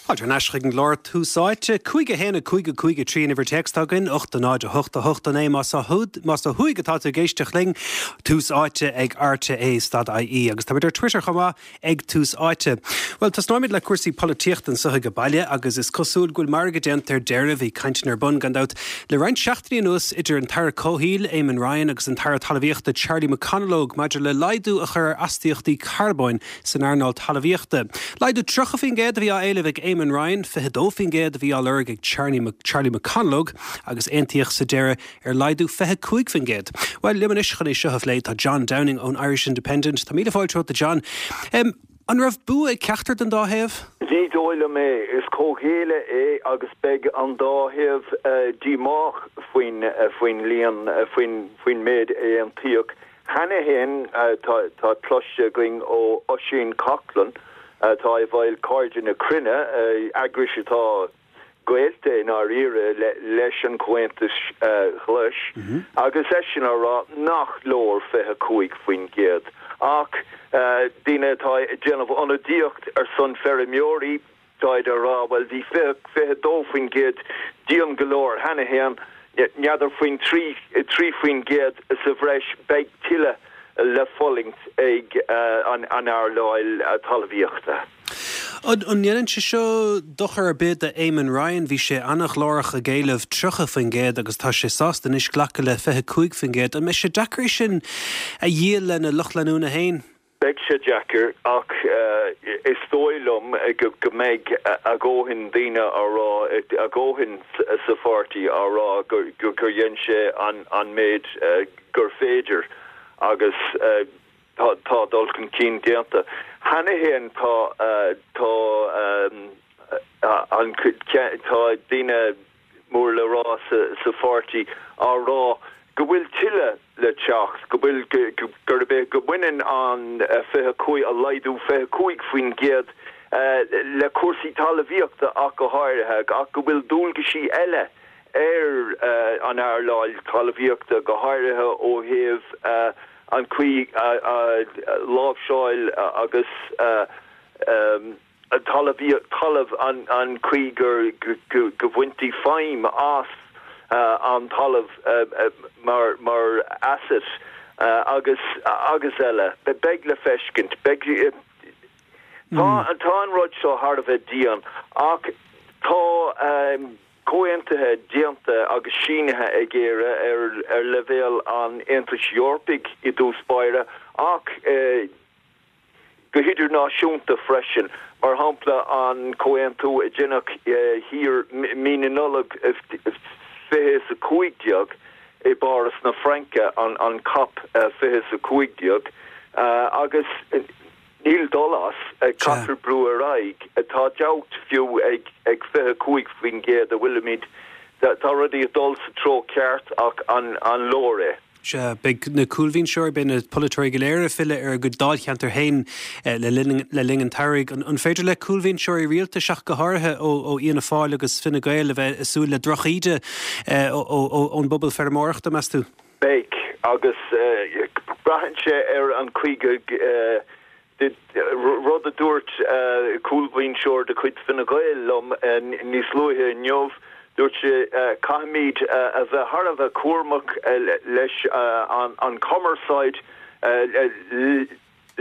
Fáilte thar n-ais chuig an gclár Tús Áite. 5 1 5 5 3 an uimhir téacs atá againn, 8 0 8 8 9 más ó más ó thuaidh atá tú ag éisteacht linn, Tús Áite ag RTÉ stad IE agus táimid ar Twitter chomh maith ag Tús Áite. Bhuel, tosnóimid le cúrsaí polaitíochta anseo age baile agus is cosúil go bhfuil margadh déanta ar deireadh, bhí cainteanna ar bun, gan dabht, le roinnt seachtainí anuas idir an tAire Comhshaoil, Eamon Ryan agus an tAire Talmhaíochta Charlie McConalogue maidir le laghdú a chur ar astaíochtaí carbóin san earnáil talmhaíochta. Laghdú 30% a bhí á éileamh ag Eamon Ryan, 22% a bhí á lorg ag Charlie McConalogue agus aontaíodh sa deireadh ar laghdú 25%. Bhuel, liom anois chun é seo a phlé tá John Downing ón Irish Independent. Tá míle fáilte romhat a John. An raibh bua ag ceachtar den dá thaobh? Ní dóigh liom é. Is comhghéilleadh é agus beidh an dá thaobh díomách faoin faoin líon, faoin méid a aontaíodh. Cheana féin, tá cloiste againn ó Oisín Coghlan, atá i bhfeighil Cairde na Cruinne, eagrais atá gaolta i ndáiríre leis an Chomhaontas Ghlais, agus eisean á rá nach leor 25%. Ach daoine atá ag déanamh ionadaíocht ar son feirmeoirí, Táid á rá, bhuel, bhí 22% dian go leor cheana féin, n'fheadar faoin 3% sa bhreis, beidh tuilleadh le fulaingt ag an earnáil talmhaíochta. An ndéanann sé seo dochar ar bith d'Éamon Ryan? Bhí sé an-ghlórach ag éileamh 30% agus tá sé sásta anois glacadh le 25%. An mbeidh sé deacair é sin a dhíol lena lucht leanúna féin? Beidh sé deacair ach is dóigh liom go mbeidh a dhóthain daoine á rá, a dhóthain sa pháirtí á rá gur dhein sé an méid gur féidir agus tá dul chun cinn déanta. Cheana féin tá tá an tá daoine mór le rá sa pháirtí á rá go bhfuil tuilleadh le teacht, go bhfuil, gurb é, go mbaineann an 25, an laghdú 25% le cúrsaí talmhaíochta ach go háirithe, ach go bhfuil dualgaisí eile ar an earnáil talmhaíochta, go háirithe ó thaobh an chaoi a láimhseáil agus. talamh, an chaoi go bhaintí feidhm as an talamh mar asset agus agus eile. Beidh le feiscint. Beidh. Tá an rud seo thar a bheith dian ach tá comhaontuithe déanta agus sínithe ag Éire ar leibhéal an Aontais Eorpaigh i dtús báire ach go hidirnáisiúnta freisin, mar shampla an comhaontú a deineadh thiar mí na Nollag 2015 i bPáras na Fraince, an cop 2015, agus níl dul as, caithfear brú ar aghaidh. Tá dabht fiú ag 25% a bhfuilimid, tá rudaí ag dul sa treo ceart ach an leor é? Sea, beidh na cúlbhinseoirí, beidh na polaiteoirí go léir ag filleadh ar a gcuid dáilcheantar féin le linn an tsamhraidh. An féidir le cúlbhinseoirí rialtais, ach go háirithe ó Fhianna Fáil agus Fine Gael, a bheith ag súil le drochíde ón bpobal feirmeoireachta, meas tú? Beidh, agus braitheann sé ar an chaoi go Rud a dúirt cúlbhinseoir de chuid Fine Gael liom níos luaithe inniu, dúirt sé, caithfimid a bheith thar a bheith cúramach leis an chumarsáid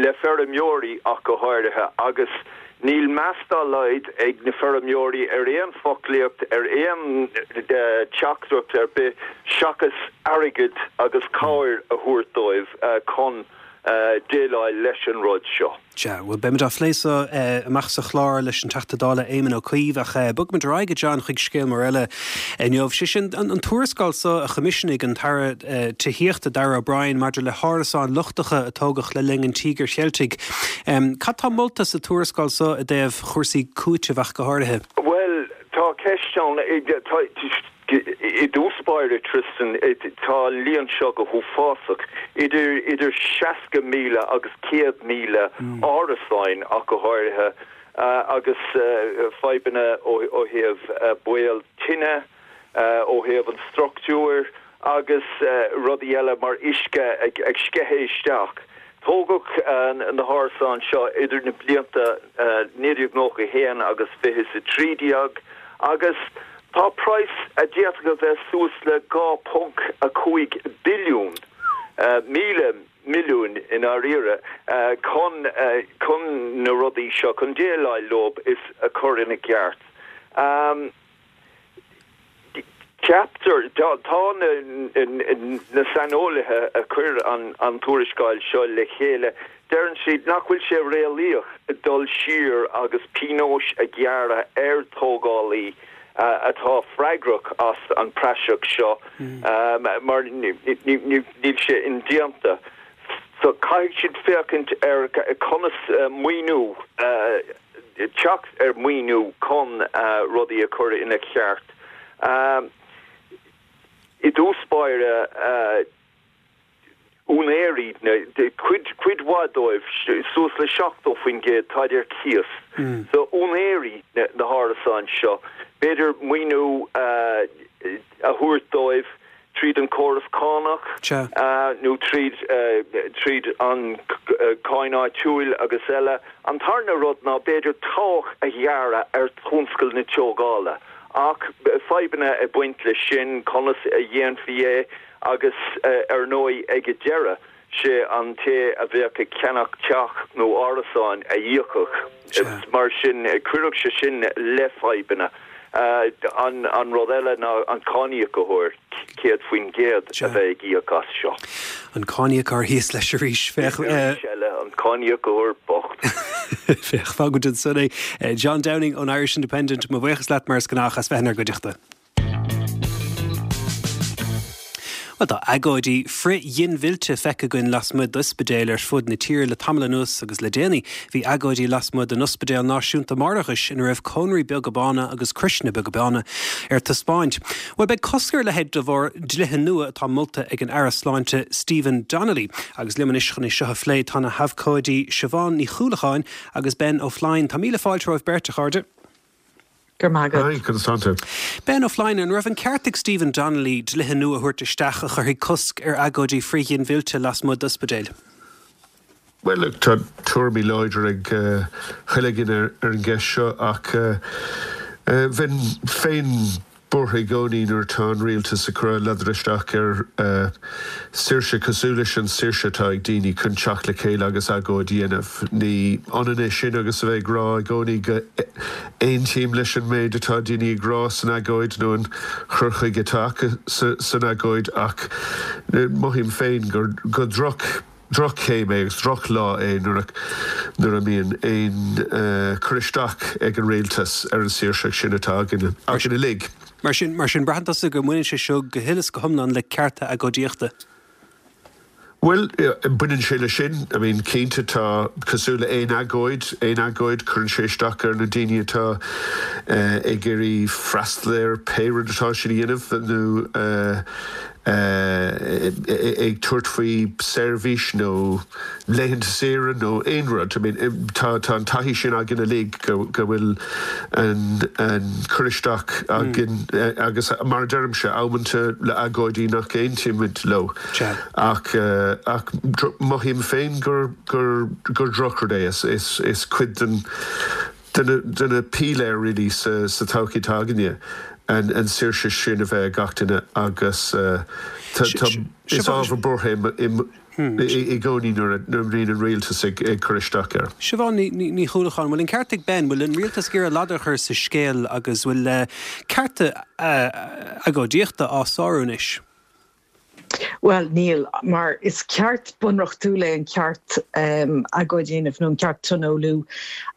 le feirmeoirí ach go háirithe agus níl meas dá laghad ag na feirmeoirí ar aon foclaíocht, ar aon teachtaireacht ar bith seachas airgead agus cabhair a thabhairt dóibh chun déileáil leis an rud seo. Sea, bhuel, beimid á phlé so amach sa chlár leis an Teachta Dála Éamon Ó Cuív, ach bogfaimid ar aghaidh, a John, chuig scéal mór eile inniu, sé sin an tuarascáil so a choimisiúnaigh an tAire Tithíochta, Darragh O'Brien, maidir le hárasáin lochtacha a tógadh le linn an Tíogair Cheiltigh. Cad tá molta sa tuarascáil so i dtaobh chúrsaí cúitimh ach go háirithe? Bhuel, tá ceist ann. I dtús báire, Tristan, tá an líon seo go huafásach, idir idir 60,000 agus 100,000 árasáin ach go háirithe, agus fadhbanna ó thaobh baol tine, ó thaobh an struchtúir agus rudaí eile mar uisce ag sceitheadh isteach. Tógadh na hárasáin seo idir na blianta 1991 agus 2013 agus tá praghas a d'fhéadfadh a bheith suas le 2.5 billiún, míle milliún i ndáiríre, chun chun na rudaí seo, chun déileáil leo is a chur ina gceart. Ceaptar, tá na saineolaithe a chuir an tuarascáil seo le chéile, deireann siad nach bhfuil sé réalaíoch dul siar agus pionóis a ghearradh ar tógálaí atá freagrach as an praiseach seo mar níl sé indéanta. So caithfidh siad féachaint ar conas maoiniú teacht ar mhaoiniú chun rudaí a chur ina cheart. I dtús báire, úinéirí, cuid, cuid mhaith dóibh, suas le 70%, táid ar cíos. So úinéirí na hárasán seo, b'fhéidir maoiniú a thabhairt dóibh, tríd an córas cánach nó tríd tríd an cáin áitiúil agus eile. An tarna rud ná b'fhéidir tobhach a ghearradh ar thionscal na tógála. Ach fadhbanna ag baint leis sin, conas a dhéanfaí é agus ar ndóigh ag an deireadh, sé an té a bheadh ag ceannach teach nó árasáin a íocfadh. Mar sin, chuirfeadh sé sin le fadhbanna. An rud eile ná an cáiníocóir, 100% a bheidh ag íoc as seo. An cáiníocóir thíos leis arís. Féach. Arís eile, an cáiníocóir bocht. Féach, fágfaimid ansan é. John Downing ón Irish Independent, mo bhuíochas leat mar is gnách as bheith inár gcuideachta. Bhuel, tá agóidí frith-ghinmhillte feicthe againn lasmuigh d'ospidéil ar fud na tíre le tamall anuas agus le déanaí bhí agóidí lasmuigh den Ospidéal Náisiúnta Máithreachais ina raibh cónraí beaga bána agus croiseanna beaga bána ar taispeáint. Bhuel, beidh cosc ar a leithéid de bharr dlíthe nua atá molta ag an Aire Sláinte Stephen Donnelly. Agus liom anois chun é seo a phlé tá na habhcóidí Siobhán Ní Chuallacháin agus Ben Ó Floinn. Tá míle fáilte romhaibh beirt, a chairde. Go raibh maith agat. Hi, conas tánn tú? Ben Ó Floinn, an raibh an ceart ag Stephen Donnelly dlíthe nua a thabhairt isteach a chuirfidh cosc ar agóidí frith-ghinmhillte lasmuigh d'ospidéil? Bhuel, look, tá tuairimí láidre ag chuile dhuine ar an gceist seo ach bheinn féin buartha i gcónaí nuair atá an rialtas ag cur ladar isteach ar saoirse cosúil leis an saoirse atá ag daoine chun teacht le chéile agus agóid a dhéanamh. Ní ionann é sin agus a bheith ag rá i gcónaí go aontaím leis an méid atá daoine ag rá san agóid nó an chur chuige atá acu san agóid ach mothaím féin gur go droch Droch-chéim é agus drochlá é nuair a nuair a mbíonn aon cur isteach ag an rialtas ar an saoirseacht sin atá againn againn uilig. Mar sin, mar sin, braitheann tusa go mbaineann sé seo go huile is go hiomlán le cearta agóidíochta? Bhuel, baineann sé leis sin. I mean, cinnte tá, cosúil le aon agóid, aon agóid, cuireann sé isteach ar na daoine atá ag iarraidh freastal ar pé rud atá siad a dhéanamh nó ag tabhairt faoi seirbhís nó laethanta saoire nó aon rud. I mean, tá tá an taithí sin againn uilig go go bhfuil an an cur isteach againn agus mar a deirimse, amanta le agóidí nach aontaímid leo. Ach ach mothaím féin gur gur gur drochrud é. Is is is cuid den de na píléir really sa todhchaí atá againne, an saoirse sin a bheith ag gach duine agus is ábhar buartha é i gcónaí nuair a bhíonn an rialtas ag cur isteach air. Siobhán Ní Chuallacháin, bhfuil an ceart ag Ben, bhfuil an rialtas ag iarraidh ladar a chur sa scéal agus bhfuil cearta agóidíochta á sárú anois? Bhuel, níl, mar is ceart bunreachtúil é an ceart agóid a dhéanamh nó an ceart tionólú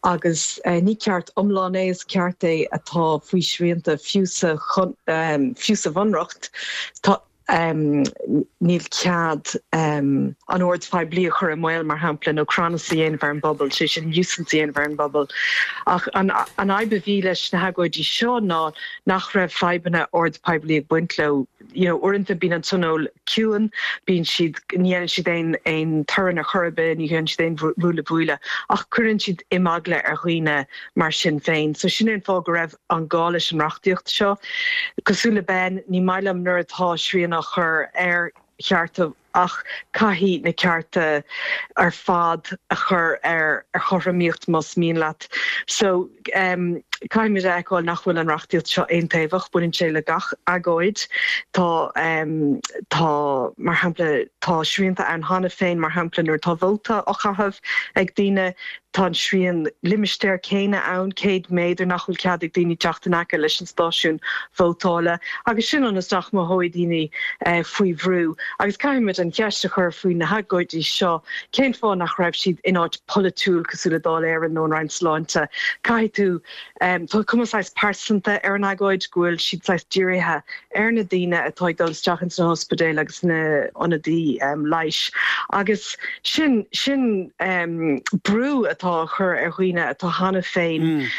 agus ní ceart iomlán é, is ceart é atá faoi shrianta fiú sa fiú sa bhunreacht. Tá níl cead an ord poiblí a chur i mbaol, mar shampla, nó crannas a dhéanamh ar an bpobal, sé sin nuisance a dhéanamh ar an bpobal. Ach an fhadhb a bhí leis na hagóidí seo ná nach raibh fadhbanna ord poiblí ag baint leo. you know uaireanta bíonn an tionól ciúin, bíonn siad, ní dhéanann siad aon aon torann ar chor ar bith, ní dhéanann siad aon bhualadh buaile ach cuireann siad imeagla ar dhaoine mar sin féin. So sin é an fáth go raibh an gá leis an reachtaíocht seo. Cosúil le Ben, ní maith liom nuair atá srian á chur ar chearta. Ach caithfidh na cearta ar fad a chur ar chothromaíocht más mian leat. So, caithfimid a fheiceáil nach bhfuil an reachtaíocht seo aontaobhach, baineann sé le gach agóid. Tá, tá, mar shampla, tá srianta ann cheana féin, mar shampla nuair atá vóta á chaitheamh ag daoine, Tá an srian limistéir céanna ann, 100 méadar, nach bhfuil cead ag daoine teacht in aice leis an stáisiún vótála agus sin ionas nach mothóidh daoine faoi bhrú. Agus caithfimid an cheist a chur faoi na hagóidí seo, cén fáth nach raibh siad in áit polaitiúil cosúil le Dáil Éireann nó an Roinn Sláinte? Caithfidh tú, tá cuma saghas pearsanta ar an agóid, go bhfuil siad saghas dírithe ar na daoine atá ag dul isteach ins na hospidéil agus na hionadaí leighis agus sin sin brú atá á chur ar dhaoine atá cheana féin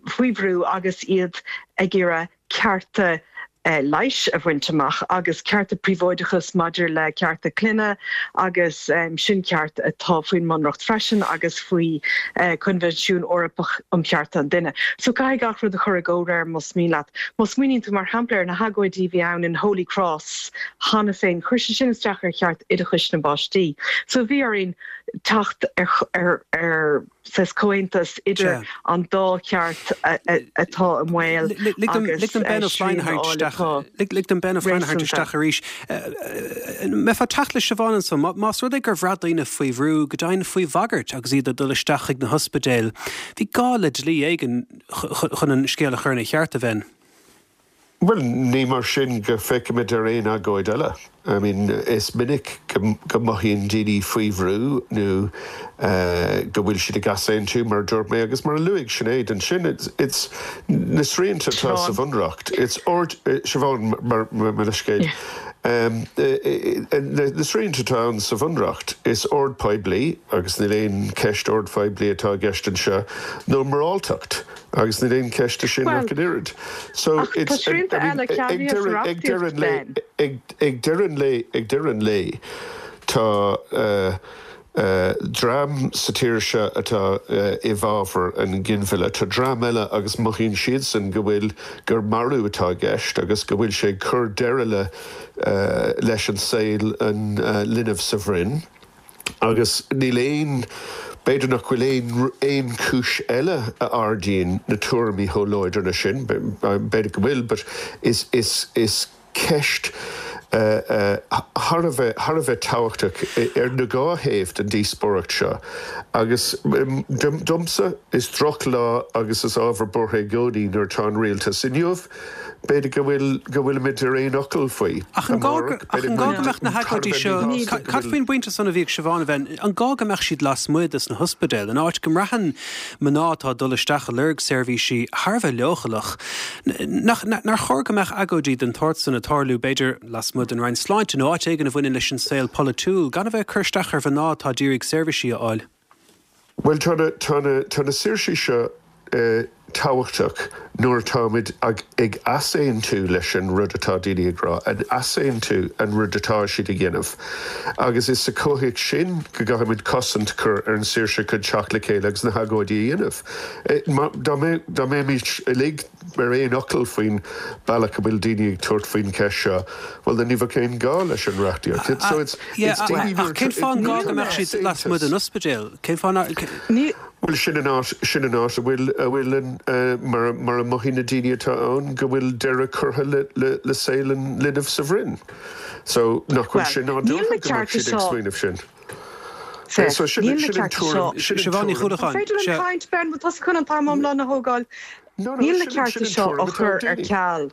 faoi bhrú agus iad ag iarraidh cearta leighis a bhaint amach agus cearta príobháideachais maidir le cearta clainne agus sin ceart atá faoin mBunreacht freisin agus faoi Coinbhinsiún Eorpach um Chearta an Duine. So caithfidh gach rud a chur i gcomhréir más mian leat. Má smaoiníonn tú mar shampla ar na hagóidí a bhí ann in Holy Cross cheana féin, chuir sé sin isteach ar cheart oideachais na bpáistí. So bhí orainn teacht ar ar saghas comhaontas idir an dá cheart atá i mbaol agus srian a fháil atá Lig dom Ben Ó Floinn a tharraingt isteach arís. Mbeifeá ag teacht le Siobhán ansan, más rud é gur bhraith daoine faoi bhrú, go deimhin faoi bhagairt agus iad ag dul isteach chuig na hospidéil, bhí gá le dlí éigin chun an scéal a chur ina cheart, a Bhen. Bhuel, ní mar sin go bhfeicimid ar aon agóid eile. I mean, is minic go mothaíonn daoine faoi bhrú nó go bhfuil siad ag easaontú, mar a dúirt mé, agus mar a luaigh Sinéad ansin, it's na srianta atá sa Bhunreacht, it's ord, Siobhán, mar mo leithscéal, na srianta atá ann sa Bhunreacht, is ord poiblí, agus níl aon cheist ord phoiblí atá i gceist anseo, nó moráltacht. Agus níl aon cheist de sin ach an oiread. So it's, I mean, ag deireadh, ag deireadh an lae, ag, ag deireadh an lae, ag deireadh an lae, tá dream sa tír seo atá i bhfabhar an ghinmhilleadh. Tá dream eile agus mothaíonn siadsan go bhfuil, gur marú atá i gceist agus go bhfuil sé ag cur deireadh le, leis an saol an linbh sa bhroinn. Agus níl aon, b'fhéidir nach bhfuil aon, aon chúis eile a ardaíonn na tuairimí chomh láidir leis sin, b'fhéidir go bhfuil, but is, is, is ceist thar a bheith, thar a bheith tábhachtach ar na dhá thaobh den díospóireacht seo. Agus domsa, is drochlá agus is ábhar buartha i gcónaí nuair atá an rialtas inniu, B'fhéidir go bhfuil, go bhfuilimid ar aon fhocal faoi. Ach an gá go, ach an gá go mbeadh na hagóidí seo, cad faoin bpointe san a bhí ag Siobhán a Bhean, an gá go mbeadh siad lasmuigh des na hospidéil, in áit go mbraitheann mná atá ag dul isteach ag lorg seirbhísí thar a bheith leochaileach? Nach, nár chóir go mbeadh agóidí den tsórt san ag tarlú, b'fhéidir, lasmuigh den Roinn Sláinte nó áit éigin a bhaineann leis an saol polaitiúil, gan a bheith ag cur isteach ar mhná atá d'iarraidh seirbhísí a fháil? Bhuel, tá na, tá na, tá na saoirsí seo tábhachtach nuair atáimid ag, ag easaontú leis an rud atá daoine ag rá, ag easaontú an rud atá siad a dhéanamh. Agus is sa chomhthéacs sin go gcaithfimid cosaint a chur ar an saoirse chun teacht le chéile agus na hagóidí a dhéanamh. Má, dá mbeadh, dá mbeimis uilig ar aon fhocal faoin bealach a bhfuil daoine ag tabhairt faoin cheist seo, bhuel then ní bheadh aon ghá leis an reachtaíocht. So it's, it's daoine nuair Ach cén fáth an gá go mbeadh siad lasmuigh den ospidéal? Cén fáth nár. Bhuel sin an áit, sin an áit a bhfuil, a bhfuil an, mar, mar a mothaíonn na daoine atá ann go bhfuil deireadh curtha le, le, le saol an linbh sa bhroinn. So nach bhfuil sé nádúrtha go mbeadh siad ag smaoineamh sin? So sin, sin an tuairim, sin an Siobhán Ní tuairim. An féidir liom caint, Ben, bhfuil tusa chun an t-am iomlán a thógáil? Níl na cearta seo á chur ar ceal.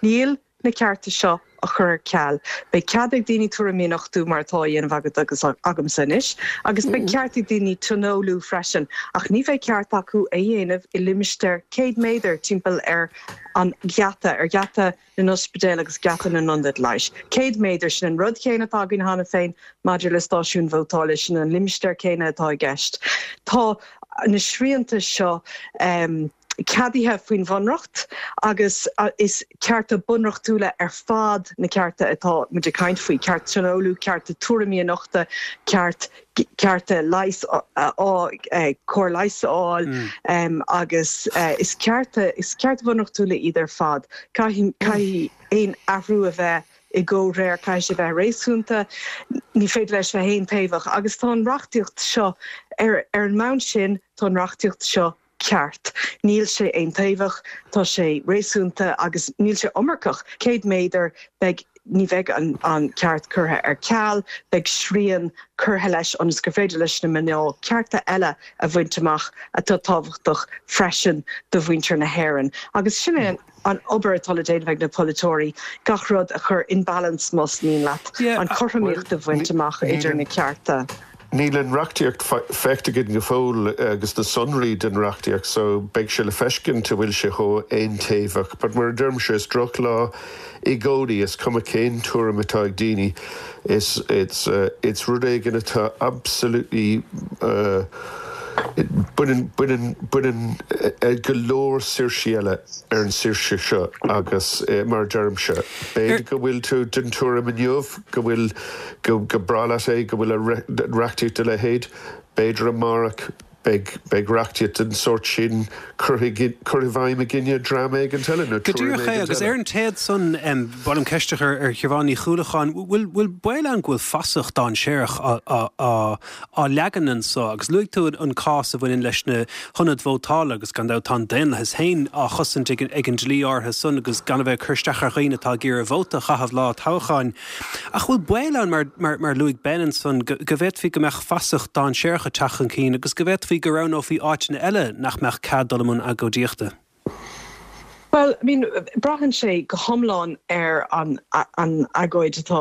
Níl na cearta seo á chur ar ceal. Beidh cead ag daoine tuairimí a nochtadh mar atá á dhéanamh agat agus agamsa anois, agus beidh ceart ag daoine tionólú freisin, ach ní bheidh ceart acu é dhéanamh i limistéar 100 méadar timpeall ar an gheata, ar gheata na n-ospidéal agus geata na n-ionad leighis. 100 méadar, sin an rud céanna atá againn cheana féin maidir le stáisiúin vótála, sin an limistéar céanna atá i gceist. Tá na srianta seo ceadaithe faoin Bhunreacht agus is cearta bunreachtúla ar fad na cearta atá muid ag caint faoi, ceart tionólú, cearta tuairimí a nochtadh, ceart cearta leighis a fháil, cóir leighis a fháil agus is cearta, is cearta bunreachtúla iad ar fad. Caithfidh, caithfidh aon athrú a bheith i gcomhréir, caithfidh sé bheith réasúnta, ní féidir leis bheith aontaobhach agus tá an reachtaíocht seo, ar an mbonn sin, tá an reachtaíocht seo ceart. Níl sé aontaobhach, tá sé réasúnta agus níl sé iomarcach. 100 méadar, beidh, ní bheidh an ceart curtha ar ceal, beidh srian curtha leis ionas gur féidir leis na mná cearta eile a bhaint amach atá tábhachtach freisin do mhuintir na hÉireann. Agus sin é an obair atá le déanamh ag na polaiteoirí, gach rud a chur in balance más mian leat, an chothromaíocht a bhaint amach idir na cearta. Níl an reachtaíocht feicthe againn go fóill agus na sonraí den reachtaíocht so beidh sé le feiscint an bhfuil sé chomh aontaobhach. But mar a deirimse, is drochlá i gcónaí, is cuma cén tuairim atá ag daoine, is it's it's rud éigin atá absolutely baineann baineann baineann go leor saoirsí eile ar an saoirse seo agus mar a deirimse, b'fhéidir go bhfuil tú den tuairim inniu go bhfuil go go breá leat é go bhfuil reachtaíocht dá leithéid, b'fhéidir amárach beidh beidh reachtaíocht den sórt sin curtha i curtha i bhfeidhm i gcoinne dream éigint eile nó Go tuairim díreach é, éigint agus eile. ar an téad san, ba mhaith liom ceist a chur ar Shiobhán Ní Chuallacháin, bhfuil bhfuil baol ann go bhfuil fasach dainséarach á á á á leagan anso agus luaigh tú an cás a bhaineann leis na hionaid vótála agus gan dabht tá an daonlathas féin á chosaint ag ag an dlí áirithe san agus gan a bheith ag cur isteach ar dhaoine atá ag iarraidh vóta a chaitheamh lá toghcháin. Ach bhfuil baol ann, mar, mar, mar a luaigh Ben ansan, go, go bhféadfaí go mbeadh fasach dainséarach ag teacht chun cinn agus go bhféadfaí go roghnófaí áiteanna eile nach mbeadh cead dul i mbun agóidíochta? Bhuel, I mean, braitheann sé go hiomlán ar an, an agóid atá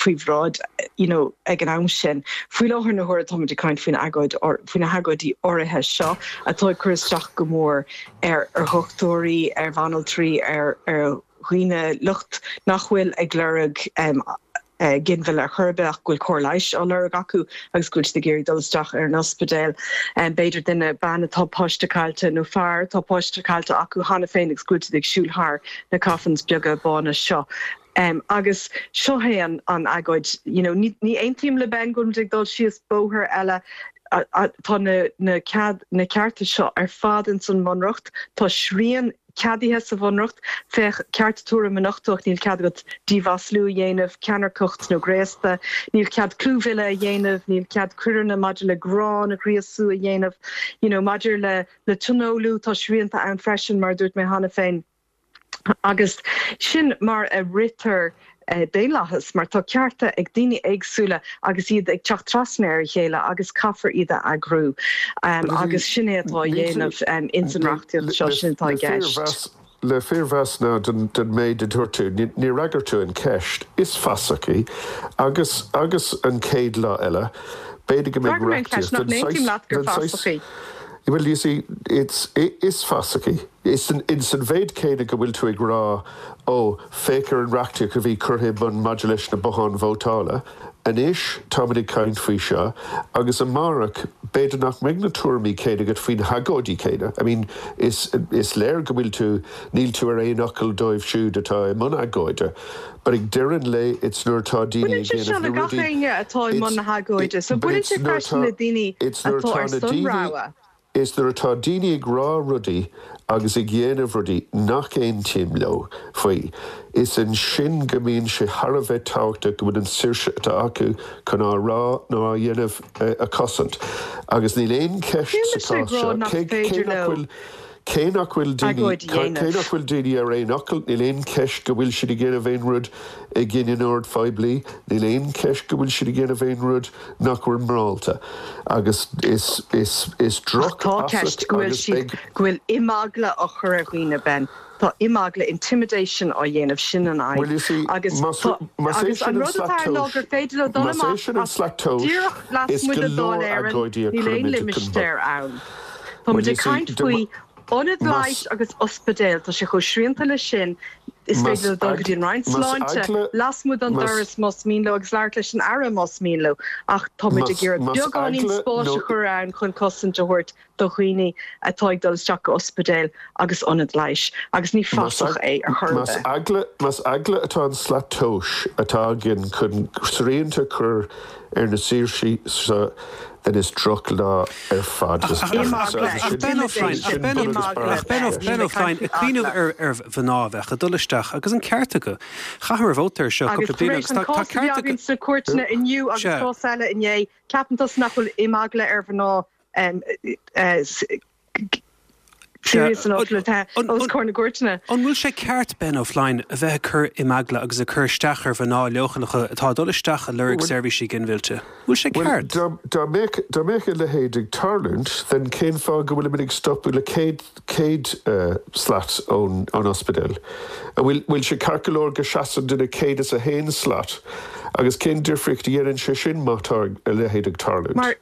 faoi bhráid, you know, ag an am sin. Faoi láthair na huaire táimid ag caint faoin agóid, faoi na hagóidí áirithe seo atá ag cur isteach go mór ar, ar dhochtúirí, ar bhanaltraí, ar, ar dhaoine, lucht nach bhfuil ag lorg ginmhilleadh ar chor ar bith ach go bhfuil cóir leighis á lorg acu agus go bhfuil siad ag iarraidh dul isteach ar an ospidéal. B'fhéidir duine, bean atá páiste caillte nó fear atá páiste caillte acu cheana féin agus go bhfuil siad ag siúl thar na coffins beaga bána seo. Agus seo é an agóid, you know, ní aontaím le Ben go bhfuil muid ag dul síos bóthar eile, tá na cearta seo ar fad ins an mBunreacht, tá srian ceadaithe sa Bhunreacht, féach ceart tuairim a nochtadh ach níl cead agat diamhaslú a dhéanamh, ceannairceacht nó graosta, níl cead clúmhilleadh a dhéanamh, níl cead coireanna maidir le gráin a ghríosú a dhéanamh, you know maidir le le tionólú tá srianta ann freisin mar a dúirt mé cheana féin. Agus sin mar a ritear daonlathas, mar tá cearta ag daoine éagsúla agus iad ag teacht trasna ar a chéile agus caithfear iad a eagrú. Agus sin é atá á dhéanamh ins an reachtaíocht seo, sin atá i gceist. Le fíormheas now don méid a dúirt tú, níor fhreagair tú an ceist. Is fasach í. Agus agus an chéad lá eile, b'fhéidir go mbeidh D'fhreagair mé an ceist, reachtaíocht nach den n-aontaím saghas, leat gur den saghas, fasach í? Well, you see, it's, is fasach í. Is in san mhéid céanna go bhfuil tú ag rá, ó, féach ar an reachtaíocht a bhí curtha i bun maidir leis na botháin vótála, anois táimid ag caint faoi seo, agus amárach b'fhéidir nach mbeidh na tuairimí céanna agat faoi na hagóidí céanna. I mean, is, is léir go bhfuil tú, níl tú ar aon fhocal dóibh siúd atá i mbun agóide, but ag deireadh an lae it's nuair atá daoine Baineann ag sé seo déanamh le na gach rudaí, éinne atá i mbun it's, na hagóide, so but baineann it's sé nuair freisin atá, le daoine it's nuair atá atá ar na son daoine, rogha. Is nuair atá daoine ag rá rudaí agus ag dhéanamh rudaí nach aontaím leo faoi, is ansin go mbíonn sé thar a bheith tábhachtach go bhfuil an saoirse atá acu chun á rá nó á dhéanamh a chosaint. Agus níl aon cheist Níl sa mise ag chás rá seo, nach cé féidir nach leo bhfuil, cé nach bhfuil daoine, agóid a cé dhéanamh. nach bhfuil daoine ar aon fhocal, níl aon cheist go bhfuil siad ag déanamh aon rud i gcoinne an oird phoiblí, níl aon cheist go bhfuil siad ag déanamh aon rud nach bhfuil morálta agus is is is Ach tá droch-fhasach ceist go bhfuil agus siad, beidh. go bhfuil imeagla á chur ar dhaoine, Ben. Tá imeagla, intimidation, á dhéanamh, sin an Well fhadhb. you see, Agus más tá, más é agus sin an an rud slat atá ann ná tomhais, gur féidir leo dul más é amach sin an as slat tomhais, díreach is lasmuigh go de Dáil leor Éireann, agóidí a níl aon cuirimid chun limistéar ann. Tá Well muid you ag see, caint de faoi ionad más leighis agus ospidéal, tá sé chomh srianta leis sin, Is Más féidir leo dul go dtí an Roinn más Sláinte eagla lasmuigh den más doras más mian leo agus labhairt leis an Aire más mian leo ach táimid más ag iarraidh más beagáinín eagla spáis nó a chur ann chun cosaint a thabhairt do dhaoine atá ag dul isteach go ospidéil agus ionaid leighis agus ní más fasach é ar chor ar más bith. eagla más eagla atá an slat tomhais atá againn chun srianta a chur ar na saoirsí seo. Then is drochlá ar fad Ach Ben Ach Ben O'Flynn, ag cuimhneamh ar mhná a bheadh ag dul isteach agus an ceart acu. Chaitheamar vóta air seo cúpla bliain agus tá ceart acu. Agus tar éis an cás a bhí againn sna cúirteanna inniu agus cás eile inné, ceapann tusa nach bhfuil imeagla ar mhná serious enough le bheith os comhair na gcúirteanna. An bhfuil sé ceart, Ben O'Flynn, a bheith ag cur imeagla agus ag cur isteach ar mhná leochaileacha atá ag dul isteach ag lorg seirbhísí ginmhillte? Bhfuil sé ceart? Bhuel, dá mbeadh, dá mbeadh a leithéid ag tarlúint, then cén fáth go bhfuilimid ag stopadh le 100, 100 slat ón, ón ospidéal? An bhfuil, bhfuil sé ceart go leor go seasann duine 101 slat? Agus cén difríocht a dhéanann sé sin má tá a leithéid ag tarlúint? Mar,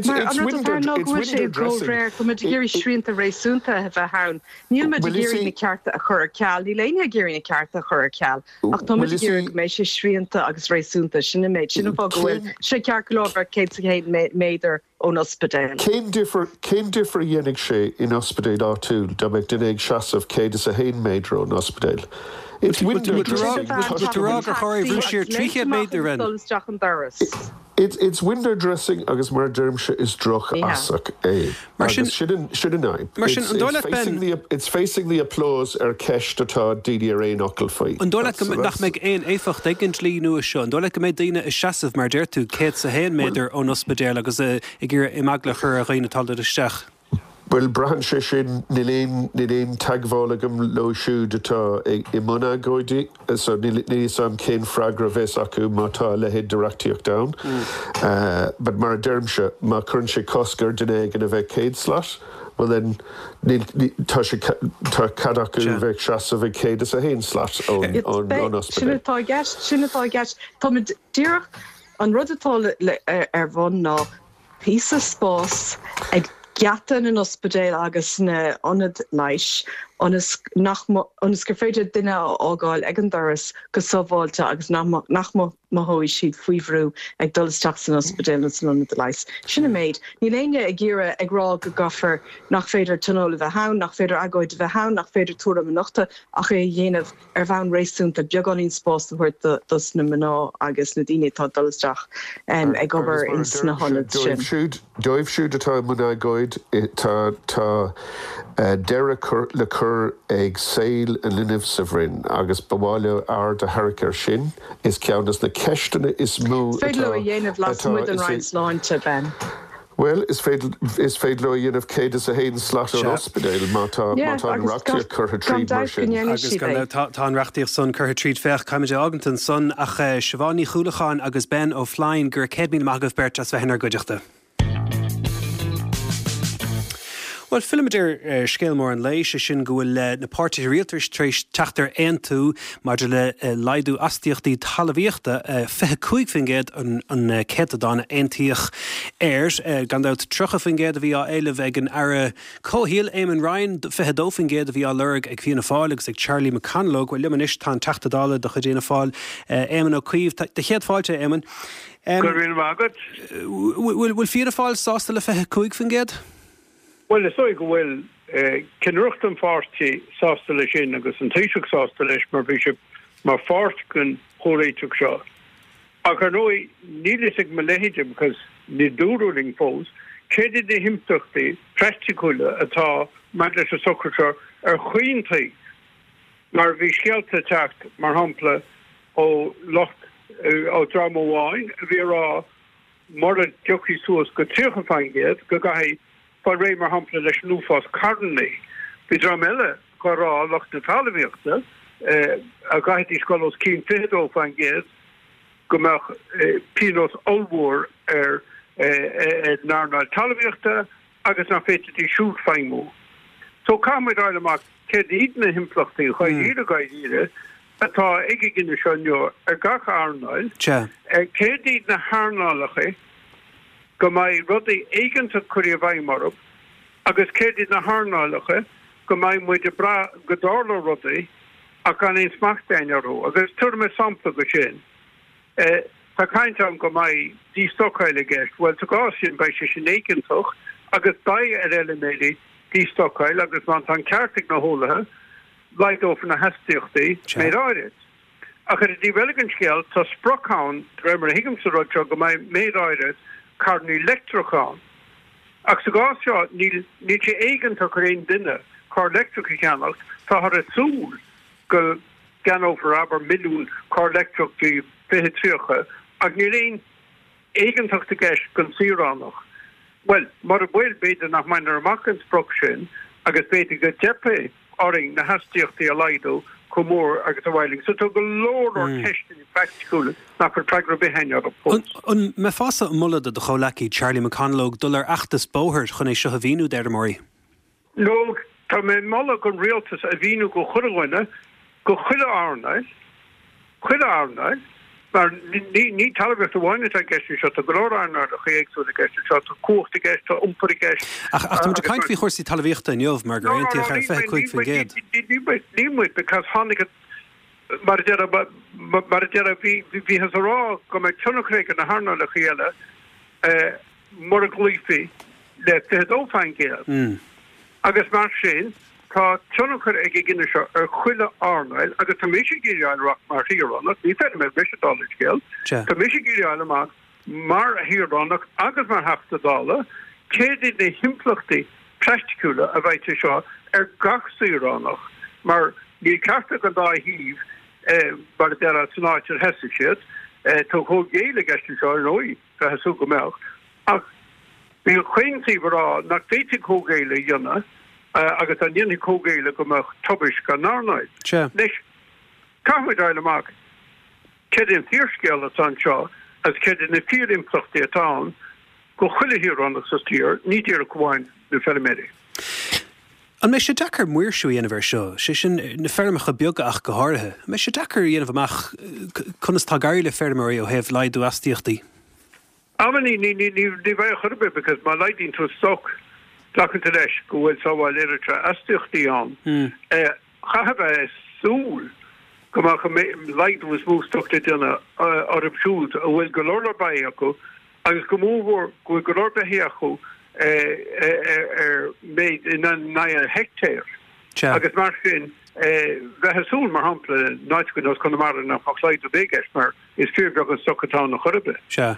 mar an rud atá ann ná go bhfuil sé i gcomhréir, tá muid ag iarraidh srianta réasúnta a bheith ann. Níl muid ag iarraidh na cearta a chur ar ceal, níl éinne ag iarraidh na cearta a chur ar ceal, ach tá muid ag iarraidh go mbeidh sé srianta agus réasúnta, sin an méid, sin an fáth go bhfuil sé ceart go leor bheith 101 méadar ón ospidéal. Cén difear, cén difear a dhéanfaidh sé in ospidéal áitiúil dá mbeadh duine ag seasamh 101 méadar ón ospidéal? It's window dressing. Bhfuil tú ag rá gur chóir é a bhrú siar 300 méadar then? Dul isteach an doras. It's window dressing agus mar a deirimse is drochfhasach é. Mar sin, Agus sin an, sin an fhadhb. Mar sin, an dóigh leat, Ben. It's facing the applause ar cheist atá daoine ar aon fhocal faoi. An dóigh leat go, nach mbeidh aon éifeacht ag an dlí nua seo? An dóigh leat go mbeidh daoine ag seasamh, mar a deir tú, 101 méadar ón ospidéal agus ag iarraidh imeagla a chur ar dhaoine atá ag dul isteach? Bhuel, braitheann sé sin, níl aon, níl aon teagmháil agam leo siúd atá i mbun agóidí, so níl a fhios agam cén freagra a bheas acu má tá a leithéid de reachtaíocht ann. But mar a deirimse, má chuireann sé cosc ar duine éigin a bheith 100 slat, well then, níl, tá sé, tá cead acu a bheith ag seasamh ag 101 slat ón, ón, ón ospidéal. Sin atá i gceist, sin atá i gceist. Táimid díreach, an rud atá le, ar bun ná, píosa spáis ag geata na n-ospidéal agus na n-ionad leighis ionas nach ionas gur féidir duine a fhágáil ag an doras go sábháilte agus nach nach mothóidh siad faoi bhrú ag dul isteach san ospidéal nó san ionad leighis. Sin an méid. Níl éinne ag iarraidh ag rá go gcaithfear nach féidir tionól a bheith ann, nach féidir agóid a bheith ann, nach féidir tuairim a nochtadh ach é a dhéanamh ar bhonn réasúnta, beagáinín spáis a thabhairt dos na mná agus na daoine atá ag dul isteach ag obair ins na hionaid sin. Dóibh siúd atá i mbun agóid, tá tá deireadh le cur ag saol an linbh sa bhroinn agus ba mhaith leo aird a tharrac air sin. Is ceann des na ceisteanna is mó atá. Is féidir leo a dhéanamh lasmuigh den Roinn Sláinte, Ben. Bhuel, is féidir, is féidir leo a dhéanamh 101 slat ón ospidéal má tá, má tá an reachtaíocht curtha tríd mar sin. Agus gan dabht, tá, tá an reachtaíocht san curtha tríd. Féach, caithfimid é a fhágaint ansan ach Siobhán Ní Chuallacháin agus Ben Ó Floinn, go raibh 100,000 maith agaibh beirt as bheith inár gcuideachta. Bhuel, fillimid ar scéal mór an lae, sé sin go bhfuil na páirtithe rialtais tar éis teacht ar aontú maidir le laghdú astaíochtaí talmhaíochta, 25% an céatadán a aontaíodh air. Gan dabht, 30% a bhí á éileamh ag an Aire Comhshaoil, Eamon Ryan, 22% a bhí á lorg ag Fianna Fáil agus ag Charlie McConalogue. Bhuel, liom anois tá an Teachta Dála de chuid Fhianna Fáil, Éamon Ó Cuív. Do chéad fáilte, a Éamoin. Go raibh míle maith agat. Bhfuil Fianna Fáil sásta le 25%? Bhuel, is dóigh go bhfuil ceannaireacht an pháirtí sásta leis sin agus an Taoiseach sásta leis mar bhí sé mar pháirt den chomhréiteach seo. Ach ar ndóigh, níl fhios ag mo leithéide, because ní dúradh linn fós, céard iad na himpleachtaí praiticiúla atá maidir leis an socrú seo ar chaon taobh. Mar bhí scéalta ag teacht, mar shampla, ó lucht, ó dream amháin a bhí ag rá mura dtiocfaí suas go 30% go gcaithfí fáil réidh, mar shampla, leis an uafás carrannaí. Bhí dream eile ag rá, lucht na talmhaíochta, a gcaithfidís dul os cionn 22% go mbeadh pionós ollmhór ar an earnáil talmhaíochta agus nach bhféadfaidís siúd feidhmiú. So caithfimid fháil amach céard iad na himpleachtaí dháiríre dháiríre atá ag an gcinneadh seo inniu ar gach earnáil, céard iad na hearnálacha go mbeidh rudaí éigeantach curtha i bhfeidhm orthu agus céard iad na hearnálacha go mbeidh muid ag brath go dtarlóidh rudaí ach gan aon smacht againn orthu. Agus tabharfaidh mé sampla de sin. Tá caint ann go mbeidh dístocáil i gceist. Bhuel, sa gcás sin, beidh sé sin éigeantach agus beidh ar fheiliméirí dístocáil agus má tá an ceart ag na heolaithe, laghdófar na hastaíochtaí méid áirid. Ach ar an dtaobh eile den scéal, tá sprioc ann, de réir mar a thuigimse an rud seo, go mbeidh méid áirid. carrannaí leictreacha ann. Ach sa gcás seo, níl níl sé éigeantach ar aon duine carr leictreach a cheannacht, táthar ag súil go gceannófar, abair, milliún carr leictreach faoi 2030, ach níl aon éigeantacht i gceist don saoránach. Bhuel, mura bhfuil, b'fhéidir nach mbainfear amach an sprioc sin agus b'fhéidir go dteipfidh orainn na hastaíochtaí a laghdú chomh mór agus a ba mhaith linn. So tá go leor leor ceisteanna praiticiúla nach bhfuil freagra ar bith againn orthu fós. An mbeifeása ag moladh do do chomhleacaí Charlie McConalogue dul ar fheachtas bóthair chun é seo a mhíniú d'fheirmeoirí? No, tá mé ag moladh don rialtas a mhíniú go chuile dhuine, go chuile earnáil, chuile earnáil, mar ní talmhaíocht amháin atá i gceist anseo, tá go leor earnálacha éagsúla i gceist anseo, tá cumhacht i gceist, tá iompar i gceist. Ach tá muid ag caint faoi chúrsaí talmhaíochta inniu mar gur aontaíodh ar 25%. Níl muid, because tháinig an, mar a déarfá, mar a déarfá, bhíothas ag rá go mbeadh tionchar ag na hearnálacha eile, mura gcloífí le 22%. Agus mar sin, tá tionchar ag an gcinneadh seo ar chuile earnáil agus tá mise ag iarraidh a fháil amach mar shaoránach, ní feirmeoir mise dála an scéil, tá mise ag iarraidh a fháil amach mar shaoránach agus mar Theachta Dála céard iad na himpleachtaí praiticiúla a bheidh sé seo ar gach saoránach mar níl ceart ag an dá thaobh mar a déarfá san áit ar sheasaigh siad. Tá comhghéilleadh i gceist anseo ar ndóigh. Bheifeá ag súil go mbeadh. Ach bhí chaon taobh ag rá nach bhféadfaí comhghéilleadh a dhéanamh agus dá ndéanfaí comhghéilleadh go mbeadh tubaist don earnáil. Anois, caithfimid a fháil amach céard é an fíorscéal atá anseo agus céard iad na fíorimpleachtaí atá ann go chuile shaoránach sa tír, ní díreach amháin na feilméaraí. An mbeidh sé deacair maoirsiú a dhéanamh air seo, sé sin, na feirmeacha beaga ach go háirithe? An mbeidh sé deacair a dhéanamh amach conas atá ag éirí le feirmeoirí ó thaobh laghdú astaíochtaí? Ah ní, ní, ní, ní bheidh ar chor ar bith because má laghdaíonn tú stoc, glacann tú leis go bhfuil sábháil oiread seo astaíochtaí ann. Chaithfeá a bheith ag súil go mbeadh an laghdú is mó stoc le déanamh orthu siúd a bhfuil go leor leor beithígh acu agus go mórmhór go bhfuil go leor beithígh acu ar méid in aghaidh an heictéir agus mar sin bheifeá ag súil, mar shampla, in áit ar nós Conamara nach mbeadh laghdú ar bith i gceist mar is fíorbheag an stoc atá ann ar chor ar bith. Sea.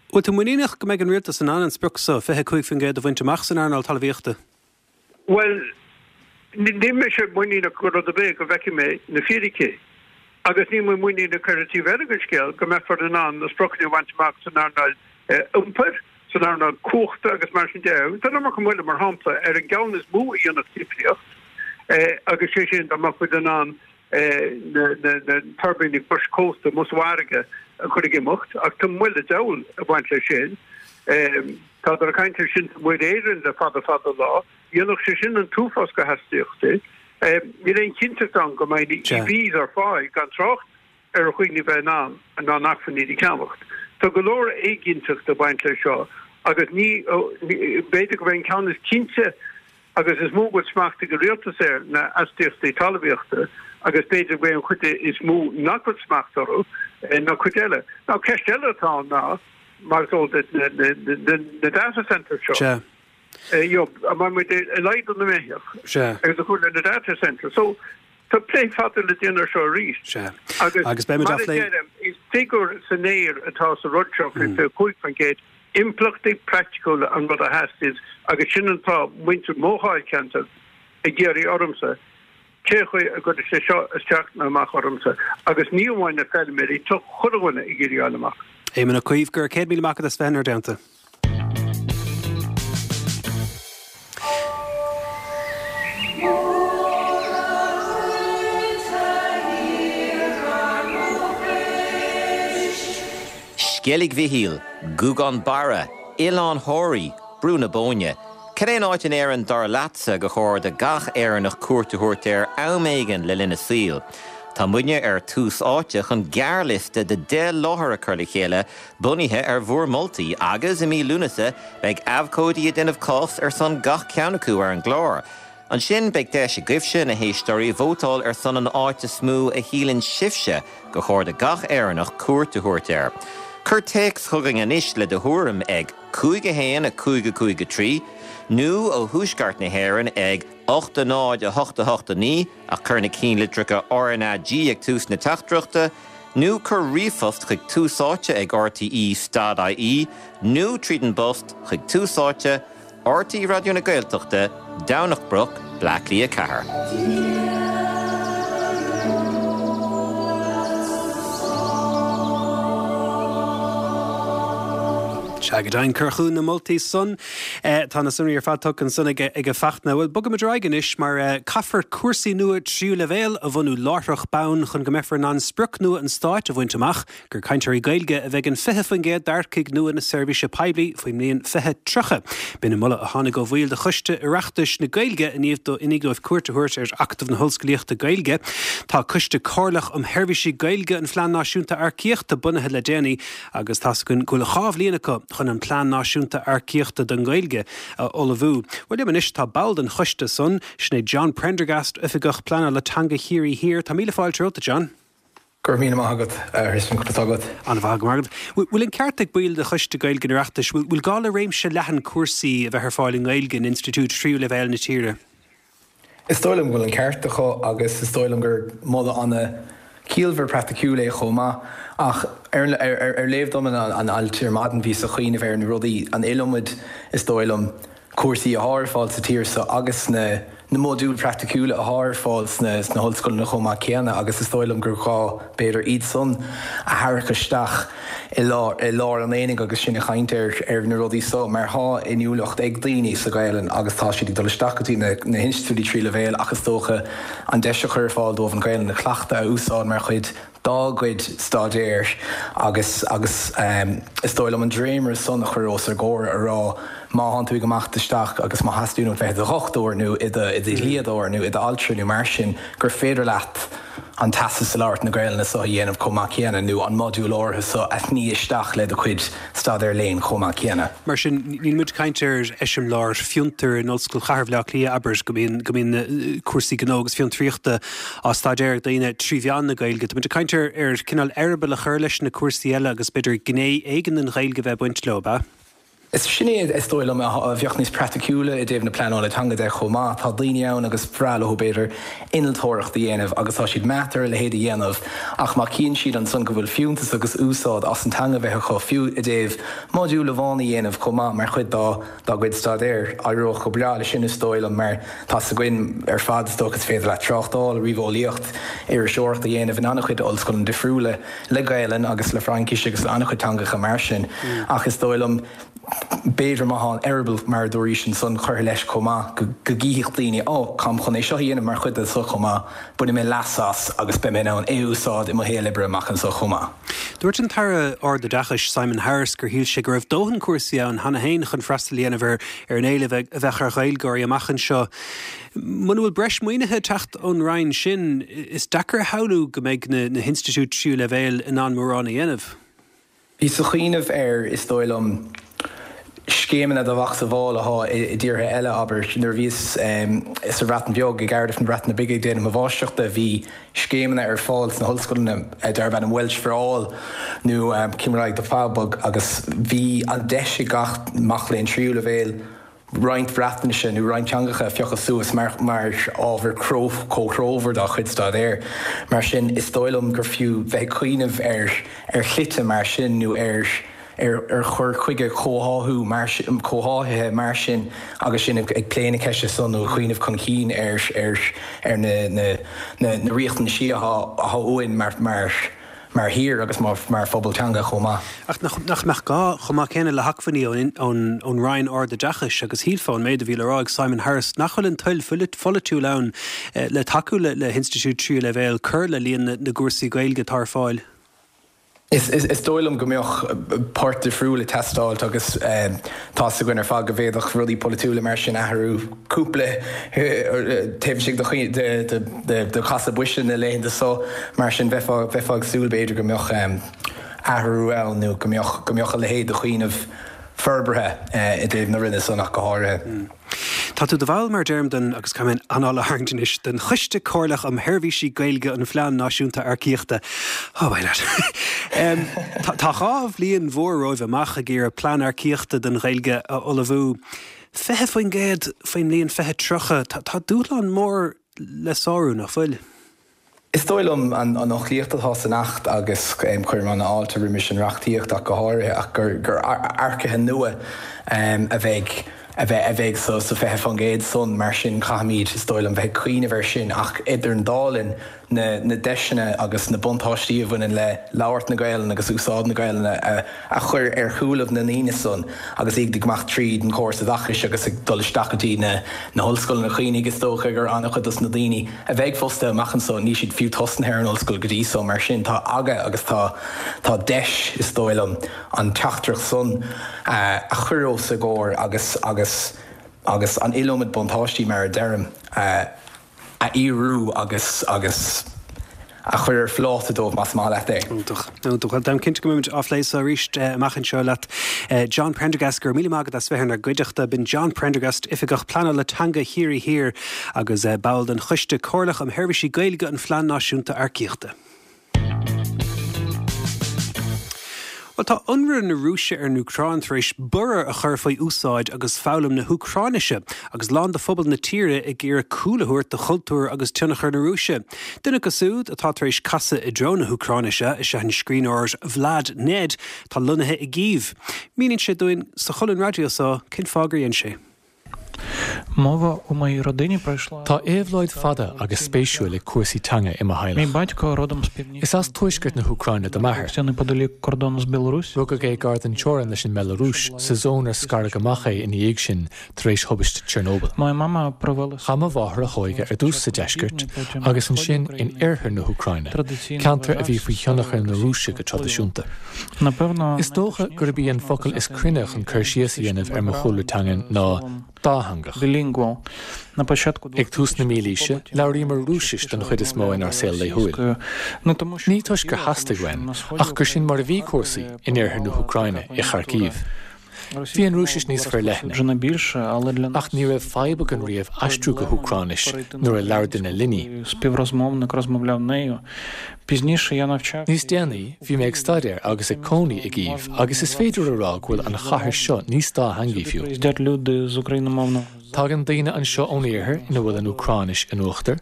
Bhfuil tú muiníneach go mbeidh an rialtas in ann an sprioc seo, 25% a bhaint amach san earnáil talmhaíochta? Bhuel, níl mise muiníneach go rud ar bith go bhfeicfidh mé na fíricí. Agus níl mé muiníneach ar an taobh eile den scéal go mbeifear in ann na spriocanna a bhaint amach san earnáil iompair, san earnáil cumhachta agus mar sin de. Tá an iomarca moille, mar shampla, ar an gceann is mó a dhéanfadh difríocht, agus sé sin dá mbeadh muid in ann na tuirbíní cois cósta amuigh sa bhfarraige a chur ag imeacht, ach tá moill an diabhail ag baint leis sin. Tádar ag caint ar sin Muir Éireann le fada fada lá. Dhéanfadh sé sin an t-uafás de astaíochtaí. Níl aon chinnteacht ann go mbeidh na EVs ar fáil, gan trácht ar dhaoine bheith in ann in ann acmhainní a cheannacht. Tá go leor éiginnteacht ag baint leis seo agus ní, b'fhéidir go mbeidh an ceann is cinnte Agus is mó go bhfuil smacht ag an rialtas air ná astaíochtaí talmhaíochta agus b'fhéidir go bhfuil an chuid is mó nach bhfuil smacht orthu ná cuid eile. Now ceist eile atá ann ná, mar is eol duit, na data centres seo. Sea. You know, an mbeidh muid ag laghdú na mbeithíoch Sea. agus ag cur le na data centres. So tá plé fada le déanamh air seo arís. Sea. Agus Agus beimid mar á a phlé. deirim, is figiúr san aer atá sa rud seo faoi 25%. Impleachtaí praiticiúla an rud a theastaíonns agus sin an fáth muintir mo dháilcheantair ag iarraidh ormsa cé chaoi a gcuirfidh sé seo isteach nó amach ormsa agus ní amháin na feilméaraí, tá chuile dhuine ag iarraidh a fháil amach. Éamon Ó Cuív, go raibh 100,000 maith agat as bheith inár dteannta. Sceilg Mhichíl, Gougane Barra, Oileán Thoraí, Brú na Bóinne. Cad é an áit in Éirinn dar leatsa gur chóir do gach Éireannach cuairt a thabhairt air am éigin le linn a saoil? Tá muidne ar Tús Áite chun gearrliosta de 10 láthair a chur le chéile bunaithe ar bhur moltaí agus i mí Lúnasa beidh abhcóidí ag déanamh cás ar son gach ceann acu ar an gclár. Ansin beidh deis agaibhse, na héisteoirí, vótáil ar son an áit is mó a shíleann sibhse gur chóir do gach Éireannach cuairt a thabhairt air. Cuir téacs chugainn anois le do thuairim ag 5 1 5 5 3 nó ó Thuaisceart na hÉireann ag 8 0 8 8 9 ach cuir na cinnlitreacha RnaG ag tús na teachtaireachta. Nó cuir ríomhphost chuig Tús Áite ag RTE stad IE nó tríd an bpost chuig Tús Áite, RTÉ Raidió na Gaeltachta, Domhnach Broc, Bleá Cliath 4. Sea, go deimhin, cuir chugainn na moltaí san. Tá na sonraí ar fad tugtha ansan ag Fachtna. Bhuel, bogaimid ar aghaidh anois mar caithfear cúrsaí nua tríú leibhéal a bhunú láithreach bonn chun go mbeifear in ann sprioc nua an stáit a bhaint amach, gur cainteoirí Gaeilge a bheidh in 20% d'earcaigh nua na seirbhíse poiblí faoin mbliain 2030. B'in an moladh a tháinig ó bhaill de Choiste Oireachtais na Gaeilge i ndiaidh dóibh cuairt a thabhairt ar Acadamh na hOllscolaíochta Gaeilge. Tá Coiste Comhairleach um Sheirbhísí Gaeilge an Phlean Náisiúnta Earcaíochta bunaithe le déanaí agus tá's againn go bhfuil 2 bhliain acu chun an Plean Náisiúnta Earcaíochta don Ghaeilge a ullmhú. Bhuel, liom anois tá ball den choiste san, sin é John Prendergast, Oifigeach Pleanála Teanga Chiarraí Thiar. Tá míle fáilte romhat, a John. Go raibh míle maith agat, a Thristan, conas tá agat? An-mhaith, go raibh maith agat. Bhfuil an ceart ag baill de Choiste Gaeilge an Oireachtais, bhfuil gá le réimse leathan cúrsaí a bheith ar fáil i nGaeilge in institiúid tríú leibhéal na tíre? Is dóigh liom go bhfuil an ceart acu agus is dóigh liom gur moladh ana-chiallmhar praiticiúil é chomh maith. Ach ar léamh dom an ailt ar maidin bhíos ag cuimhneamh ar na rudaí, an iliomad, is dóigh liom, cúrsaí athá ar fáil sa tír seo agus na na modúil praiticiúla athá ar fáil sna hollscoileanna chomh maith céanna agus is dóigh liom gur gá b'fhéidir iad san a tharrac isteach i lár i lár an aonaigh agus sinn ag caint ar ar na rudaí so mar thá inniúlacht ag daoine sa Ghaelainn agus tá siad ag dul isteach go dtí na na hinstitiúidí tríú leibhéal ach is dócha an deis a chur ar fáil dóibh an Ghaelainn a chleachtadh a úsáid mar chuid dá gcuid staidéir agus agus is dóigh liom an dréimire san a chur os ár gcomhair a rá má thánn tú ag imeacht isteach agus má theastaíonn uait bheith i do dhochtúir nó i do i do dhlíodóir nó i d'altra nó mar sin gur féidir leat an teastas i labhairt na Gaelainne so a dhéanamh chomh maith céanna nó an modúl áirithe so a shní isteach le do chuid staidéar léinn chomh maith céanna. Mar sin, níl muid ag caint ar eiseamláir fiontair in Ollscoil Chathair Bhaile Átha Cliath, abair, go mbíonn, go mbíonn cúrsaí gnó agus fiontraíochta á staidéar ag daoine trí mheán na Gaeilge. Tá muid ag caint ar, ar cineál eireaball a chur leis na cúrsaí eile agus b'fhéidir gné éigin den Ghaeilge a bheith ag baint leo, ab ea? Is sin é is dóigh liom a bheadh níos praiticiúla i dtaobh na pleanála teanga de chomh maith. Tá daoine ann agus bhreá leo b'fhéidir innealtóireacht a dhéanamh agus tá siad meáite ar a leithéid a dhéanamh ach má chíonn siad ansan go bhfuil fiúntas agus úsáid as an teanga bheith acu fiú i dtaobh modúl amháin a dhéanamh chomh maith mar chuid dá dá gcuid staidéir, éireodh go breá leis sin is dóigh liom mar tá's againn ar fad is dócha is féidir leat tráchtáil, ríomheolaíocht, iriseoireacht a dhéanamh in an-chuid ollscoileanna difriúla. le Gaelainn agus le Fraincis agus le an-chuid teangacha mar sin ach is dóigh liom b'fhéidir má thá an eireaball mar a dúraís ansan curtha leis chomh maith go gcífeadh daoine ó táim chun é seo a dhéanamh mar chuid de seo chomh maith, bainfidh mé leas as agus beidh mé in ann é a úsáid i mo shaol oibre amach anseo chomh maith. Dúirt an tAire Ardoideachais Simon Harris gur shíl sé go raibh dóthain cúrsaí ann cheana féin chun freastal a dhéanamh ar ar an éileamh a bheadh ar Ghaeilgeoirí amach anseo. Muna bhfuil breis maoinithe ag teacht ón Roinn sin, is deacair a shamhlú go mbeidh na hinstitiúid tríú leibhéal in ann mórán a dhéanamh. Bhíos ag cuimhneamh ar, is dóigh liom, scéimeanna de mhacasamhail athá i dtíortha eile, abair. Nuair a bhíos sa Bhreatain Bheag, i gCardiff na Breataine Bige ag déanamh mo mháistreachta, bhí scéimeanna ar fáil sna hollscoileanna darb ainm Welsh for All nó Cymraeg i bPawb agus bhí an deis ag gach mac léinn tríú leibhéal roinnt Breatnaise nó roinnt teangacha a phiocadh suas mar ábhar comhthreomhar dá chuid staidéir. Mar sin, is dóigh liom gur fiú bheith ag cuimhneamh ar ar shlite mar sin nó ar ar chur chuige comhtháthú mar comhtháthaithe mar sin agus sinn ag plé na ceiste so nó ag cuimhneamh chun cinn ar ar ar na na na riachtanaisí atá atá uainn mar mar mar thír agus mar phobal teanga chomh maith. Ach nach mbeadh gá chomh maith céanna le hacmhainní ón Roinn Ardoideachais agus shílfeá ón méid a bhí le rá ag Simon Harris nach bhfuil an toil pholaitiúil ann le tacú le hinstitiúid tríú leibhéal cur le líon na gcúrsaí Gaeilge atá ar fáil. Is dóigh liom go mbeadh port difriúil ag teastáilt agus tá's againn ar fad go bhféadfadh rudaí polaitiúla mar sin athrú cúpla taobh istigh de chasadh boise na laethanta so. Mar sin, bheifeá ag súil, b'fhéidir, go mbeadh athrú ann nó go mbeadh go mbeadh a leithéid de chuimhneamh forbartha i dtaobh na Roinne san ach go háirithe. Tá tú i do bhall, mar a deirim, den, agus caithfidh mé an anáil a tharraingt anois, den Choiste Comhairleach um Sheirbhísí Gaeilge an Phlean Náisiúnta Earcaíochta. Oh, why not? Tá 2 bhliain mhór romhaibh amach ag iarraidh plean earcaíochta don Ghaeilge a ullmhú. 20% faoin mbliain 2030, tá dúshlán mór le sárú, nach bhfuil? Is dóigh liom an fhoclaíocht atá san Acht agus cuirim an-fháilte roimis an reachtaíocht ach go háirithe ach gur earcaithe nua a bheidh a bheidh sa 20% san mar sin caithfimid is dóigh liom bheith ag cuimhneamh air sin ach idir an dá linn na na deiseanna agus na buntáistí a bhaineann le labhairt na Gaelainne agus úsáid na Gaelainne a chur ar shúilibh na ndaoine san agus iad ag imeacht tríd an chóras oideachais agus ag dul isteach go dtí na na hollscoileanna. Cuimhnigh, is dócha gur an-chuid dos na daoine a bheidh fostaithe amach anso, níl siad fiú tosnaithe ar an ollscoil go dtí so. Mar sin, tá aga agus tá tá deis, is dóigh liom, an teachtaireacht san a chur os a gcomhair agus agus agus an iliomad buntáistí, mar a deirim, a a fhíorú agus agus a chur ar phláta dóibh, más maith leat é. Iontach. Iontach. Bhuel, táim cinnte go mbeimid á phlé so arís amach anseo leat. John Prendergast, go raibh míle maith agat as bheith inár gcuideachta. B'in John Prendergast, Oifigeach Pleanála Teanga Chiarraí Thiar agus ball den Choiste Comhairleach um Sheirbhísí Gaeilge an Phlean Náisiúnta Earcaíochta. Bhuel, tá ionradh na Rúise ar an Úcráin tar éis borradh a chur faoi úsáid agus foghlaim na hÚcráinise, agus a lán de phobal na tíre ag iarraidh cúl a thabhairt do chultúr agus tionchar na Rúise. Duine acu siúd atá tar éis casadh i dtreo na hÚcráinise is ea an scríbhneoir Vlad Ned, atá lonnaithe i gCív. Míníonn sé dúinn sa cholún raidió seo cén fáth gur dhein sé. Tá éabhlóid fada agus spéisiúil ag cúrsaí teanga i mo theaghlach. Is as tuaisceart na hÚcráine do m'athair. Rugadh é gar don teorainn leis an mBealarúis, sa zón ar scaradh amach é ina dhiaidh sin tar éis thubaiste Chernobyl. Chaith mo mháthair a hóige ar dtús sa deisceart agus ansin in oirthear na hÚcráine, ceantar a bhí faoi thionchar na Rúise go traidisiúnta. Is dócha gurb í an focal is cruinne chun cur síos a dhéanamh ar mo chúlra teangan ná dátheangach. Ag tús na mílaoise, labhraíomar Rúisis den chuid is mó inár saol laethúil. Ní toisc gur theastaigh uainn, ach gur sin mar a bhí cúrsaí in oirthear na hÚcráine, i Kharkiv. Bhí an Rúisis níos forleithne. Ach ní raibh fadhb againn riamh aistriú go hÚcráinis nuair a labhair duine linn í. Níos déanaí, bhí mé ag staidéar agus ag cónaí i gCív agus is féidir a rá go bhfuil an chathair seo níos dátheangaí fiú. Tagann daoine anseo ón iarthar ina bhfuil an Úcráinis in uachtar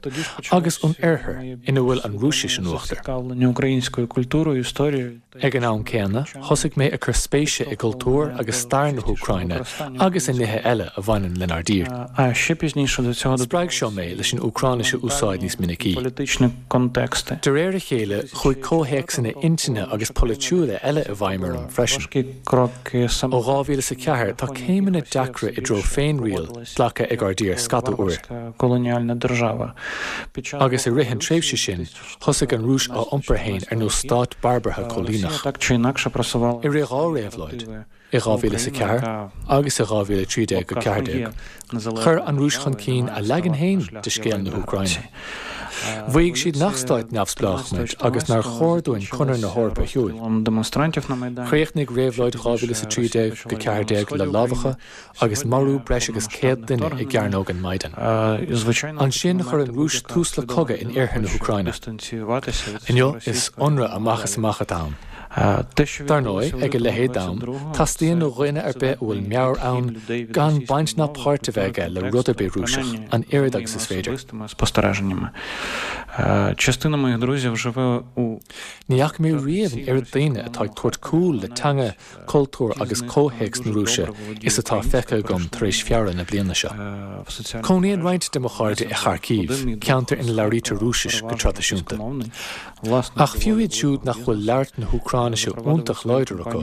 agus ón oirthear ina bhfuil an Rúisis in uachtar. Ag an am céanna, thosaigh mé ag cur spéise i gcultúr agus stair na hÚcráine agus i nithe eile a bhaineann lenár dtír. Spreag seo mé leis an Úcráinis a úsáid níos minicí. De réir a chéile, chuaigh comhthéacsanna intinne agus polaitiúla eile i bhfeidhm orm freisin. Ó 2004, tá céimeanna deacra i dtreo féinriail glactha ag ár dtír scata uair. Agus i rith an tréimhse sin, Thosaigh an Rúis á iompar féin ar nós stát barbartha cóilíneach. I rith 2 réabhlóid, i 2004 agus i 2013-14, chuir an Rúis chun cinn a leagan féin de scéal na hÚcráine. Mhaígh siad nach stát neamhspleách muid agus nár chóir dúinn Conradh na hEorpa a shiúil. Chríochnaigh réabhlóid 2013-14 le lámhachadh agus marú breis agus 100 duine i gCearnóg an Maidan. Ansin chuir an Rúis tús le cogadh in iarthar na hÚcráine. Inniu is ionradh amach is amach atá ann. Dar ndóigh, ag a leithéid d'am, teastaíonn ó dhuine ar bith a bhfuil meabhair ann gan baint ná páirt a bheith aige le rud ar bith Rúiseach, an oiread agus is féidir. Ní fhaca mé riamh an oiread daoine atá ag tabhairt cúl le teanga cultúr agus comhthéacs na Rúise is atá feicthe agam tar éis Feabhra na bliana seo. Cónaíonn roinnt de mo chairde i Kharkiv, ceantar ina labhraítear Rúisis go traidisiúnta. Ach fiú iad siúd nach bhfuil labhairt na hÚcráinise iontach láidir acu,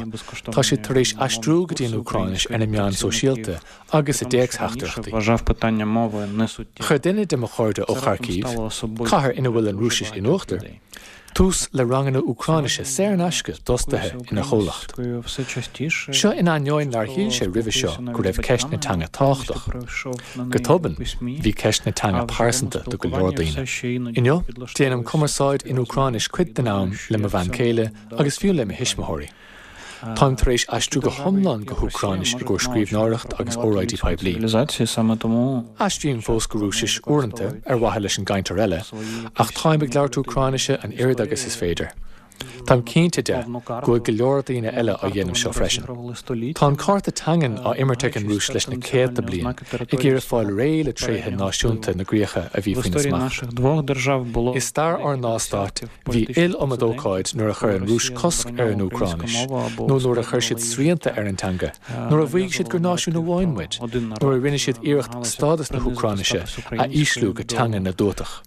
tá siad tar éis aistriú go dtí an Úcráinis ar na meáin sóisialta agus i dtéacstheachtaireachtaí. Chuir duine de mo chairde ó Kharkiv, cathair ina bhfuil an Rúisis in uachtar, tús le ranganna Úcráinise saor in aisce d'fhostaithe ina chomhlacht. Seo in ainneoin nár shíl sé roimhe seo go raibh ceist na teanga tábhachtach. Go tobann, bhí ceist na teanga pearsanta do go leor daoine. Inniu, déanaim cumarsáid in Úcráinis cuid den am le mo bhean chéile agus fiú le mo thuismitheoirí. Táim tar éis aistriú go hiomlán go hÚcráinis i gcomhair scríbhneoireacht agus óráidí poiblí. Aistrím fós go Rúisis uaireanta ar mhaithe leis an gcainteoir eile, ach táim ag labhairt Úcráinise an oiread agus is féidir. Táim cinnte de go bhfuil go leor daoine eile á dhéanamh seo freisin. Tá an cárta teangan á imirt ag an Rúis leis na céadta bliain, ag iarraidh fáil réidh le tréithe náisiúnta na gcríocha a bhí faoina smacht. I stair ár ndá stát, bhí iliomad ócáid nuair a chuir an Rúis cosc ar an Úcráinis, nó nuair a chuir siad srianta ar an teanga, nuair a mhaígh siad gur náisiún amháin muid, nuair a rinne siad iarracht stádas na hÚcráinise a ísliú go teanga na dtuatach.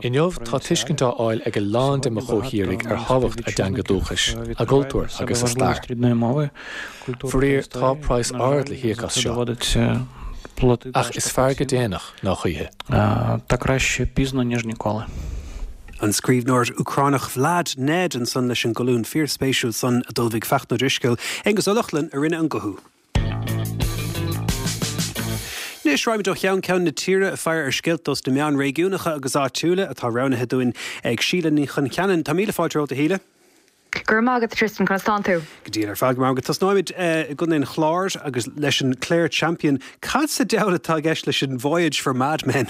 Inniu, tá tuiscint á fháil ag a lán de mo chomhthírigh ar thábhacht a dteanga dúchais, a gcultúr agus a stair. Faraor, tá praghas ard le híoc as seo. Ach is fearr go déanach ná choíche. An scríbhneoir Úcránach Vlad Ned ansan leis an gcolún fíorspéisiúil san a d'ullmhaigh Fachtna Ó Drisceoil. Aonghus Ó Lochlainn a rinne an guthú. Anois, raghaimid ó cheann ceann na tíre ag faire ar scéalta dos na meáin réigiúnacha agus áitiúla atá roghnaithe dúinn ag Síle Ní Choncheanainn. Tá míle fáilte romhat, a Shíle. Go raibh maith agat, a Tristan. Conas tánn tú? Go diail ar fad, go maith. Tosnóimid i gContae an Chláir agus leis an Clare Champion. Cad sa diabhal atá i gceist leis an Voyage for Madmen?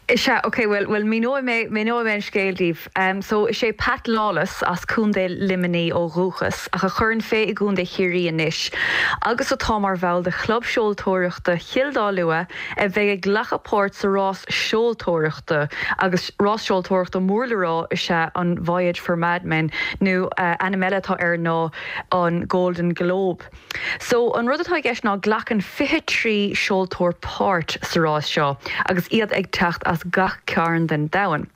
Is ea, ok, bhuel, bhuel, míneoidh mé, míneoidh mé an scéal daoibh. So, is é Pat Lawless, as Contae Luimnigh ó dhúchas, ach a chuireann fé i gContae Chiarraí anois, agus atá mar bhall de Chlub Seoltóireachta Chill Dá Lua, a bheidh ag glacadh páirt sa rás seoltóireachta, agus rás seoltóireachta mór le rá is ea an Voyage for Madmen, nó ainm eile atá air ná an Golden Globe. So, an rud atá i gceist ná glacann 23 seoltóir páirt sa rás seo agus iad ag teacht as gach cearn den domhan.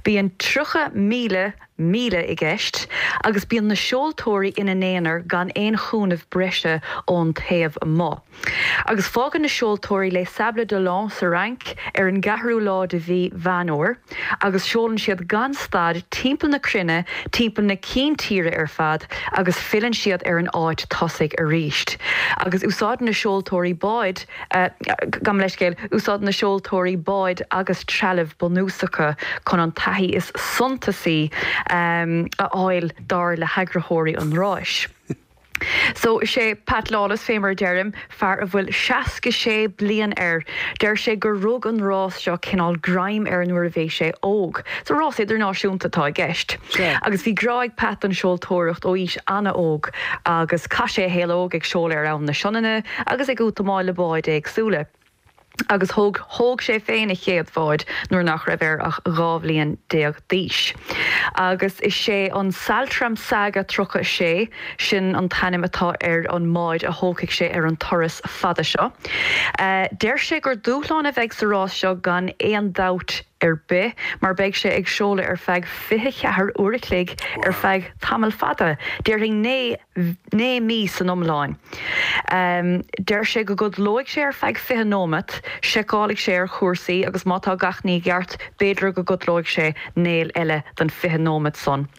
Bíonn 30,000 míle i gceist agus bíonn na seoltóirí ina n-aonar gan aon chúnamh breise ón taobh amuigh. Agus fágann na seoltóirí Les Sables d'Olonne sa Fhrainc ar an gceathrú lá de mhí Mheán Fhómhair agus seolann siad gan stad timpeall na cruinne, timpeall na cinn tíre ar fad agus filleann siad ar an áit tosaigh arís. Agus úsáideann na seoltóirí báid, gabh mo leithscéal, úsáideann na seoltóirí báid agus trealamh bunúsacha chun an taithí is suntasaí a fháil dar le heagraitheoirí an ráis. So, is é Pat Lawless, fé mar a deirim, fear a bhfuil 66 bliain air. Deir sé gur rug an rás seo cineál greim air nuair a bhí sé óg. So, rás idirnáisiúnta atá i gceist. Agus bhí grá ag Pat don seoltóireacht ó aois an-óg agus chaith sé a shaol óg ag seoladh ar Abhainn na Sionainne agus ag útamáil le báid éagsúla. Agus thóg thóg sé féin a chéad bhád nuair nach raibh air ach 12 bhliain d'aois. Agus is é an Saltram Saga 36, sin an t-ainm atá ar an mbád a thógfaidh sé ar an turas fada seo. Deir sé gur dúshlán a bheidh sa rás seo gan aon dabht ar bith, mar beidh sé ag seoladh ar feadh 24 uair a chloig ar feadh tamall fada, déarfainn 9 9 mí san iomlán. Deir sé go gcodlóidh sé ar feadh 20 nóimeat, seiceálfaidh sé ar chúrsaí agus má tá gach ní i gceart, b'fhéidir go gcodlóidh sé néal eile don 20 nóimeat san.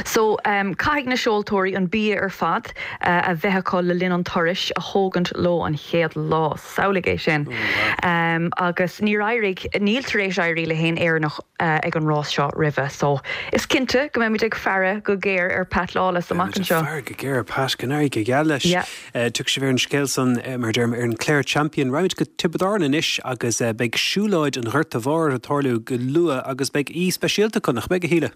So, caithfidh na seoltóirí an bia ar fad a bheith acu le linn an turais a thógaint leo an chéad lá. Samhlaigh é sin. Agus níor éirigh, níl tar éis éirí le haon Éireannach ag an rás seo roimhe so is cinnte go mbeimid ag faire go géar ar Pat Lawless amach anseo. Beimid ag faire go géar ar Pat, go n-éirí go geal leis. Yeah. Tiocfaidh sibh ar an scéal san, mar a deirim, ar an Clare Champion. Raghaimid go Tiobraid Árann anois agus beidh siúlóid an Ghorta Mhóir ag tarlú go luath agus beidh aoi speisialta acu, nach mbeidh, a Shíle?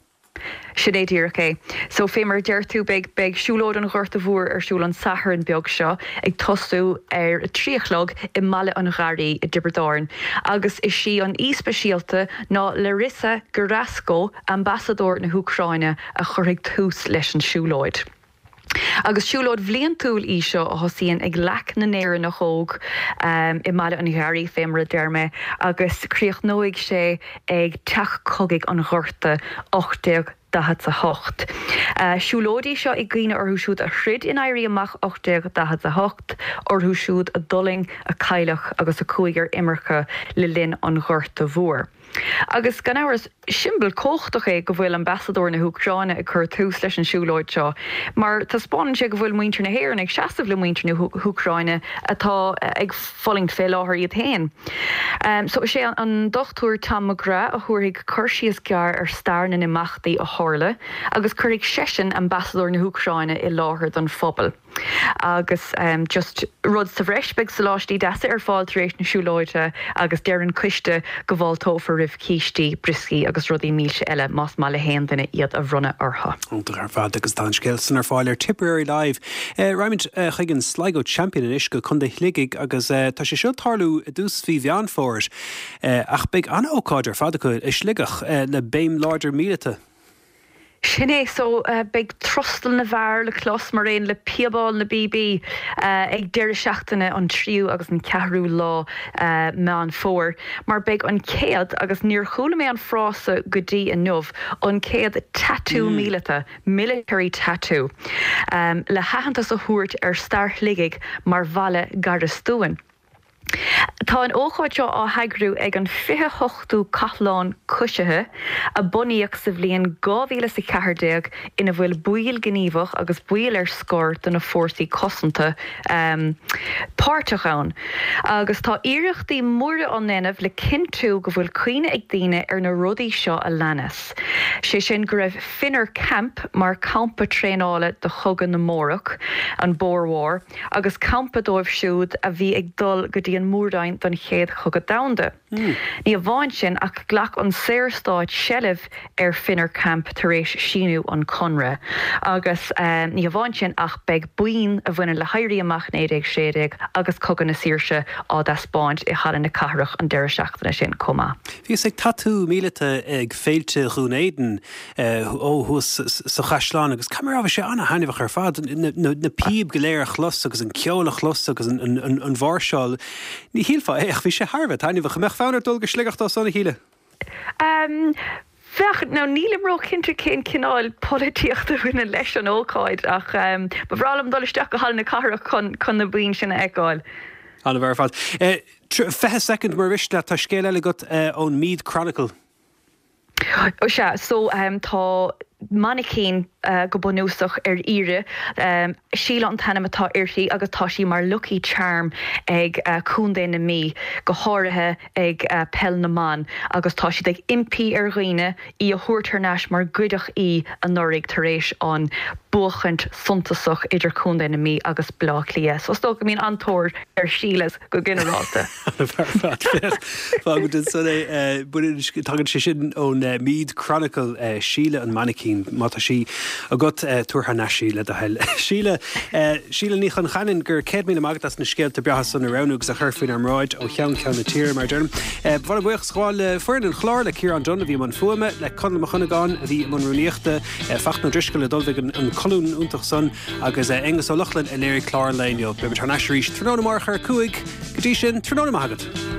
Sin é díreach é. So, fé mar a deir tú, beidh, beidh Siúlóid an Ghorta Mhóir ar siúl an Satharn beag seo, ag tosú ar a trí a chlog i mBaile an Gharraí i dTiobraid Árann. Agus is í an aoi speisialta ná Larissa Gerasko, Ambasadóir na hÚcráine, a chuirfidh tús leis an siúlóid. Agus siúlóid bhliantúil í seo a thosaíonn ag Leac na nÉireannach Óg i mBaile an Gharraí, fé mar a deir mé, agus críochnóidh sé ag Teach Cogaidh an Ghorta, 1848. Siúlóid í seo i gcuimhne orthu siúd a throid in Éirí Amach 1848, orthu siúd a d'fhulaing, a cailleadh agus a chuaigh ar imirce le linn an Ghorta Mhóir. Agus gan amhras, siombail cumhachtach é go bhfuil ambasadóir na hÚcráine ag cur tús leis an siúlóid seo, mar taispeánann sé go bhfuil muintir na hÉireann ag seasamh le muintir na hÚcráine atá ag fulaingt fé láthair iad féin. So is é an Dr Tom McGrath a thabharfaidh cur síos gearr ar stair na n-imeachtaí a tharla agus cuirfidh seisean ambasadóir na hÚcráine i láthair don phobal. Agus just rud sa bhreis, beidh soláistí deasa ar fáil tar éis na siúlóide agus deir an coiste go bhfáilteofar roimh cístí, brioscaí agus rudaí milse eile más maith le haon duine iad a bhronnadh orthu. Iontach ar fad agus tá an scéal san ar fáil ar Tipperary Live. Raghaimid chuig an Sligo Champion anois go Contae Shligigh agus tá sé seo ag tarlú i dtús mhí Mheán Fómhair ach beidh an-ócáid ar fad acu i Sligeach le béim láidir míleata. Sin é so, beidh trostal na bhfear le clos mar aon le píobáil na bpíobaí ag deireadh seachtaine an tríú agus an ceathrú lá Meán Fómhair mar beidh an chéad, agus níor chuala mé an frása go dtí inniu, an chéad tatú míleata, military tattoo, le haitheantas a thabhairt ar stair Shligigh mar bhaile garastúin. Tá an ócáid seo á heagrú ag an 28ú Cathlán Coisithe, a bunaíodh sa bhliain 2014, ina bhfuil baill gníomhach agus baill ar scor de na Fórsaí Cosanta páirteach ann. Agus tá iarrachtaí móra á ndéanamh le cinntiú go bhfuil cuimhne ag daoine ar na rudaí seo a leanas, sé sin go raibh Finner Camp mar campa traenála do Chogadh na mBórach, an Boer War, agus campa dóibh siúd a bhí ag dul go dtí an Mór-Roinn don Chéad Chogadh Domhanda. Ní amháin sin ach ghlac an Saorstát seilbh ar Finner Camp tar éis síniú an Conradh. Agus ní hamháin sin ach beidh boinn a bhaineann le hÉirí Amach 1916 agus Cogadh na Saoirse á dtaispeáint i Halla na Cathrach an deireadh seachtaine sin chomh maith. Bhíos ag tatú míleata ag Féilte Dhún Éideann ó thuas sa chaisleán agus caithfidh mé a rá bhí sé an-thaitneamhach ar fad, na píob go léir a chlos agus an ceol a chlos agus an mháirseáil. Ní shílfeá é ach bhí sé thar a bheith taitneamhach. An mbeadh fonn ort dul go Sligeach dó san, a Shíle? Bheadh, now nílim róchinnte cén cineál polaitíochta a bhaineann leis an ócáid ach ba bhreá liom dul isteach go Halla na Cathrach chun na boinn sin a fheiceáil. An-mhaith ar fad. 20 soicind mura mhiste leat, tá scéal eile agat ón Meath Chronicle. Ó sea, so tá mainicín go bunúsach ar iarraidh. Síle an t-ainm atá uirthi agus tá sí mar lucky charm ag Contae na Mí, go háirithe ag Peil na mBan agus tá siad ag impí ar dhaoine í a thabhairt thar n-ais mar goideadh í anuraidh tar éis an buachaint suntasach idir Contae na Mí agus Baile Átha Cliath. So is dócha go mbíonn an-tóir ar Sheilas go ginearálta. Fágfaimid ansan é. Tagann sé sin ón Meath Chronicle, Síle an mainicín. Má tá sí agat, tabhair thar n-ais í le do thoil. Síle, Síle Ní Chon Cheanainn, go raibh 100,000 maith agat as na scéalta breátha san a roghnú agus a chur faoinár mbráid ó cheann ceann na tíre, mar a deirim. Ba mhaith liom buíochas a ghabháil le foireann an chláir, le Ciarán Dunne a bhí i mbun fuaime, le Conall Mac Dhonnagáin a bhí i mbun rúnaíochta, Fachtna Ó Drisceoil a d'ullmhaigh an colún iontach san, Agus Aonghus Ó Lochlainn a léirigh clár an lae inniu. Beimid thar n-ais arís tráthnóna amárach ar 5. Go dtí sin, tráthnóna maith agat.